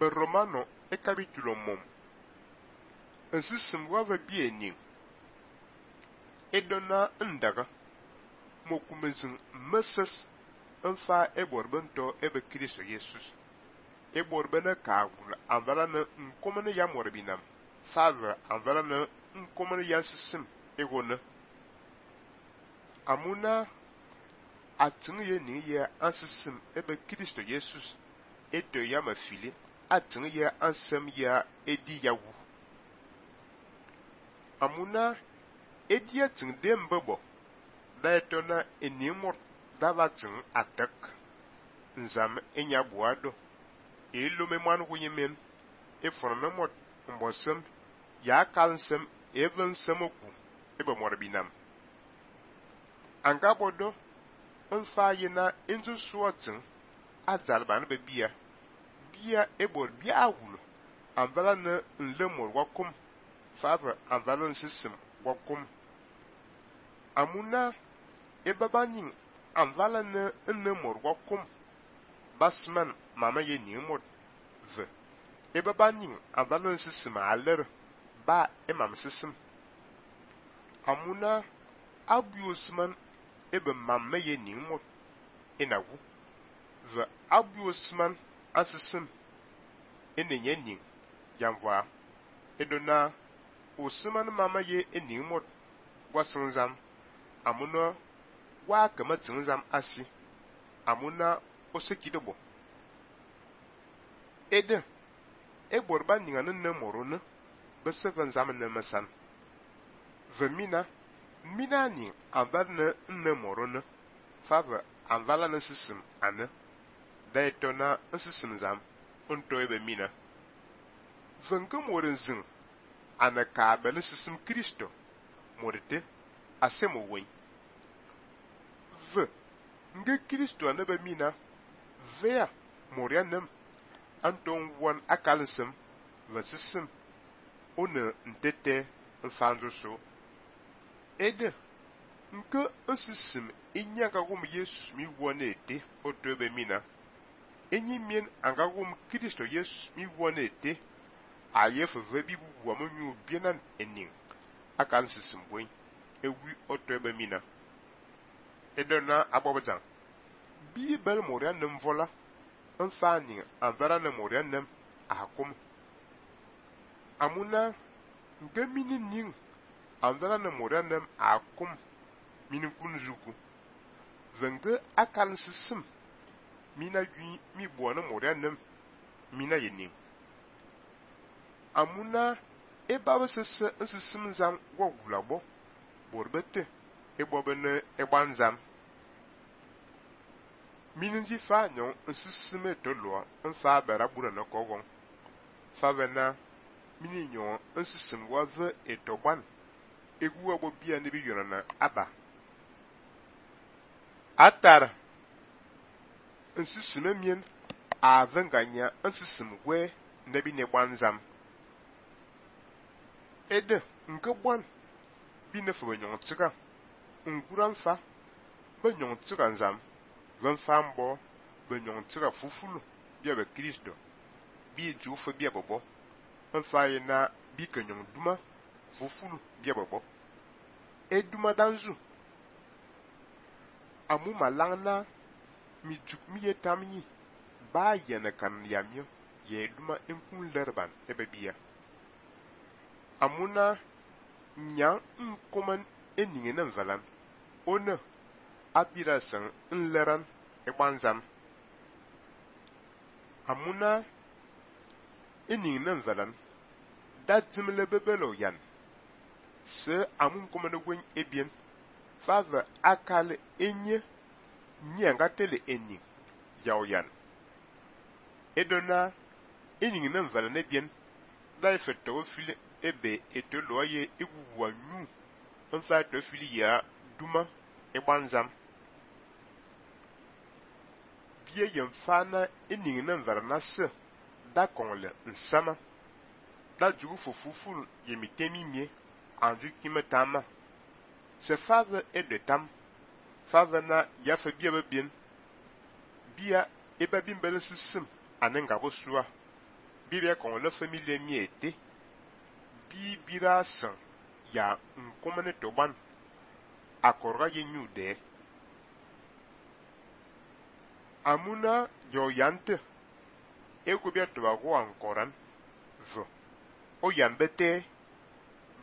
Romano e capítulo mom. Ensisim wa va biening. E dona ndaga. Mokumezin meses enfa e borbento ebe Kristo Jesus. E borbena kagul anvala na nkomene ya morbinam. Father anvala na nkomene ya sisim egona. Amuna atin ye ni ye ansisim ebe Kristo Jesus. Eto ya mafili atin ye ansem ya edi yawu. Amuna edi atin dembebo. Da etona enimor davatin atak. Nzam enya buado. Elo me man wiyemen. E fornemot mbosem ya kalsem even semoku ebe morbinam. Angabodo nfa yena inzu suotin adzalban be bia ebor bia awulo anvala na nlemor wakum favor anvala nsisim wakum amuna ebabanin anvala na nlemor wakum basman mama ye nimod ve ebabanin anvala nsisim aler ba emam sisim amuna abiosman ebe mamme ye nimod inagu ve abiosman asisim enenye ning yanwa edona osman mama ye enimod wasinzam amuna wa kama tinzam asi amuna osekidobo ede eborba ninga nne morone beseven zam ne mesan ve mina ni anval nne morone fava anvala na sisim ane da etona nsisim zam unto ebe mina venke moren zin ana ka bele sisim Kristo morite asemo wen ve nge Kristo anebe mina vea morianem anton won akalsem ve sisim one ntete mfanzo so ede nke nsisim inyaka gum Yesus mi wone ete oto ebe mina enyi mien angagum Kristo Yesus mi wone ete ayef vebi buwa monyu bienan ening akan sisimboy ewi oto ebe mina edona abobjan Bible morian nem vola enfani anvara na morian nem akum amuna nge mini ning anvara na morian nem akum mini kunzuku venge akan sisim mina gwi mi buwana morian nem mina yening amuna ebawe sese nsisim zam wogulabo borbete ebobene egbanzam minji fa nyon nsisim etoloa nfa bara bura na kogon favena mini nyon nsisim wave etoban egu abo bia ne bi yorana aba atar nsisim mien avenganya nsisim we nebi ne gbanzam ede nke bon bi ne fo nyon tsika nguran fa be nyon tsika nzam ven fambo be nyon tsika fufulu bia be Kristo bi jufa bia bobo enfa yena bi kenyon duma fufulu bia bobo eduma danzu amu malangna mi juk mi yetamni ba yene kan yamyo ye duma enkun lerban ebe bia amuna nya nkoman eninge na valan ona abira san nleran egbanzam amuna eninge na valan datimle bebelo yan se amun komane gwen ebien fava akale enye nyanga tele ening yaw edona eninge na valan ebien da efeto fili ebe etoloye iguwanyu enfa to fili ya duma egbanzam bie yemfana eninge na varna se da konle nsama da jugu fufuful yemitemi mie anju kimetama se fave edetam fave na yafe bia bebien bia eba bimbele sisim anenga bosua bibia kon le famille mi ete bi bira san ya nkomene to ban akorga ye nyude amuna yo yante ego bia to ba go ankoran zo o yambete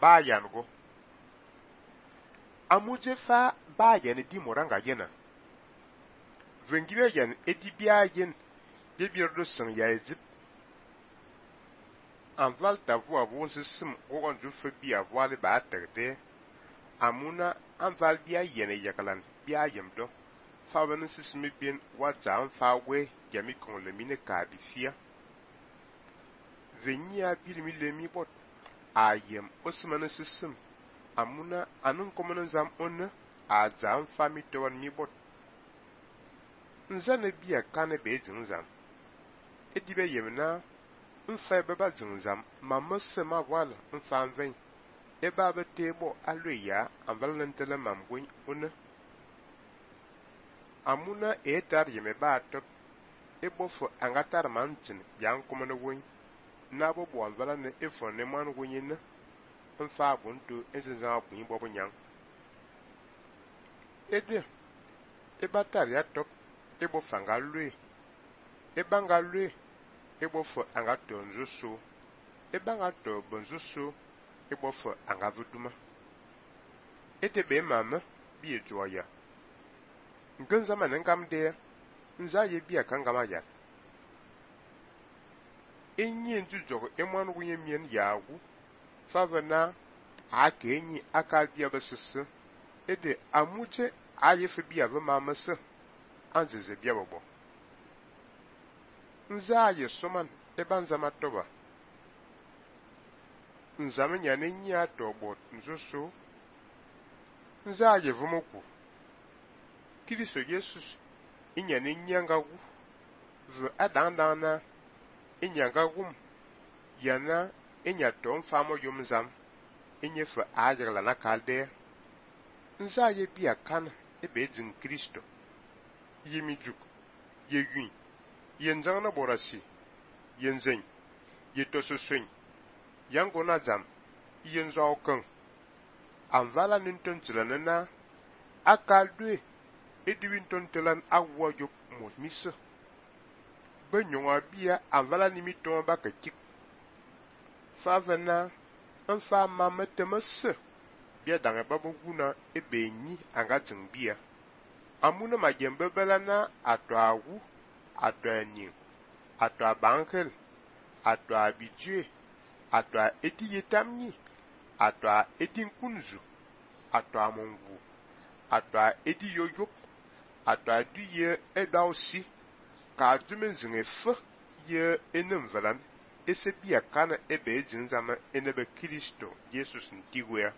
ba yango amuje fa ba yan di moranga yena vengibe yan edi bia yen bibir do san ya ezip anval ta voix bon sim o ju fe bia voile ba terde amuna anval bia yene yakalan bia yemdo fa ben sismi bien wa jam fa we yami kon le mine ka bi fia venia bilmi le mi bot ayem osman sisim amuna anun komono zam on a jam fa mi to wan mi bot nzane bia kane be jinzam edibe yemna nfa baba jinzam mamase ma wala nfa ven e baba tebo aloya anval nantela mamgwen on amuna etar yeme ba to ebofo angatar mantin yan komono won na bo bo anvala ne efo ne man wonyin nfa bunto enzenza bun bobo nyang ede ebatar ya top ebo fanga lue ebanga lue ebo fo anga tonzo so ebanga to bonzo so ebo fo anga vuduma ede be mama bi ejoya nganza manen kam de nza ye bia kangama ya enyi njujogo emwan wunye mien yagu favana aka enyi aka bia besese ede amuje ayefe bia be mamase anzeze bia bobo nza ye soman ebanza matoba nzame nyane nyi atobot nzoso nza ye vumoku Kristo Jesus inyane nyangagu vu adandana inyangagum yana inya tom famo yumzam inyefa ajagla na kalde nza ye bia kan ebe din Kristo yemijuk yegui yenjangna borasi yenzen yetososen yangona jam yenzo kan anvala ninton tilanana akaldwe ediwinton telan awwa yok mosmisa benyonga bia anvala nimiton baka kik favana nfa mama temase bia dange babo guna ebenyi anga bia amuna majembe belana ato awu ato anyi ato abankel ato abidje ato edi yetamni ato edi nkunzu ato amongu ato edi yoyop ato aduye edausi ka dumen zinge fe ye enem velan ese bia kana ebe jinzama enebe Kristo Jesus ntigwea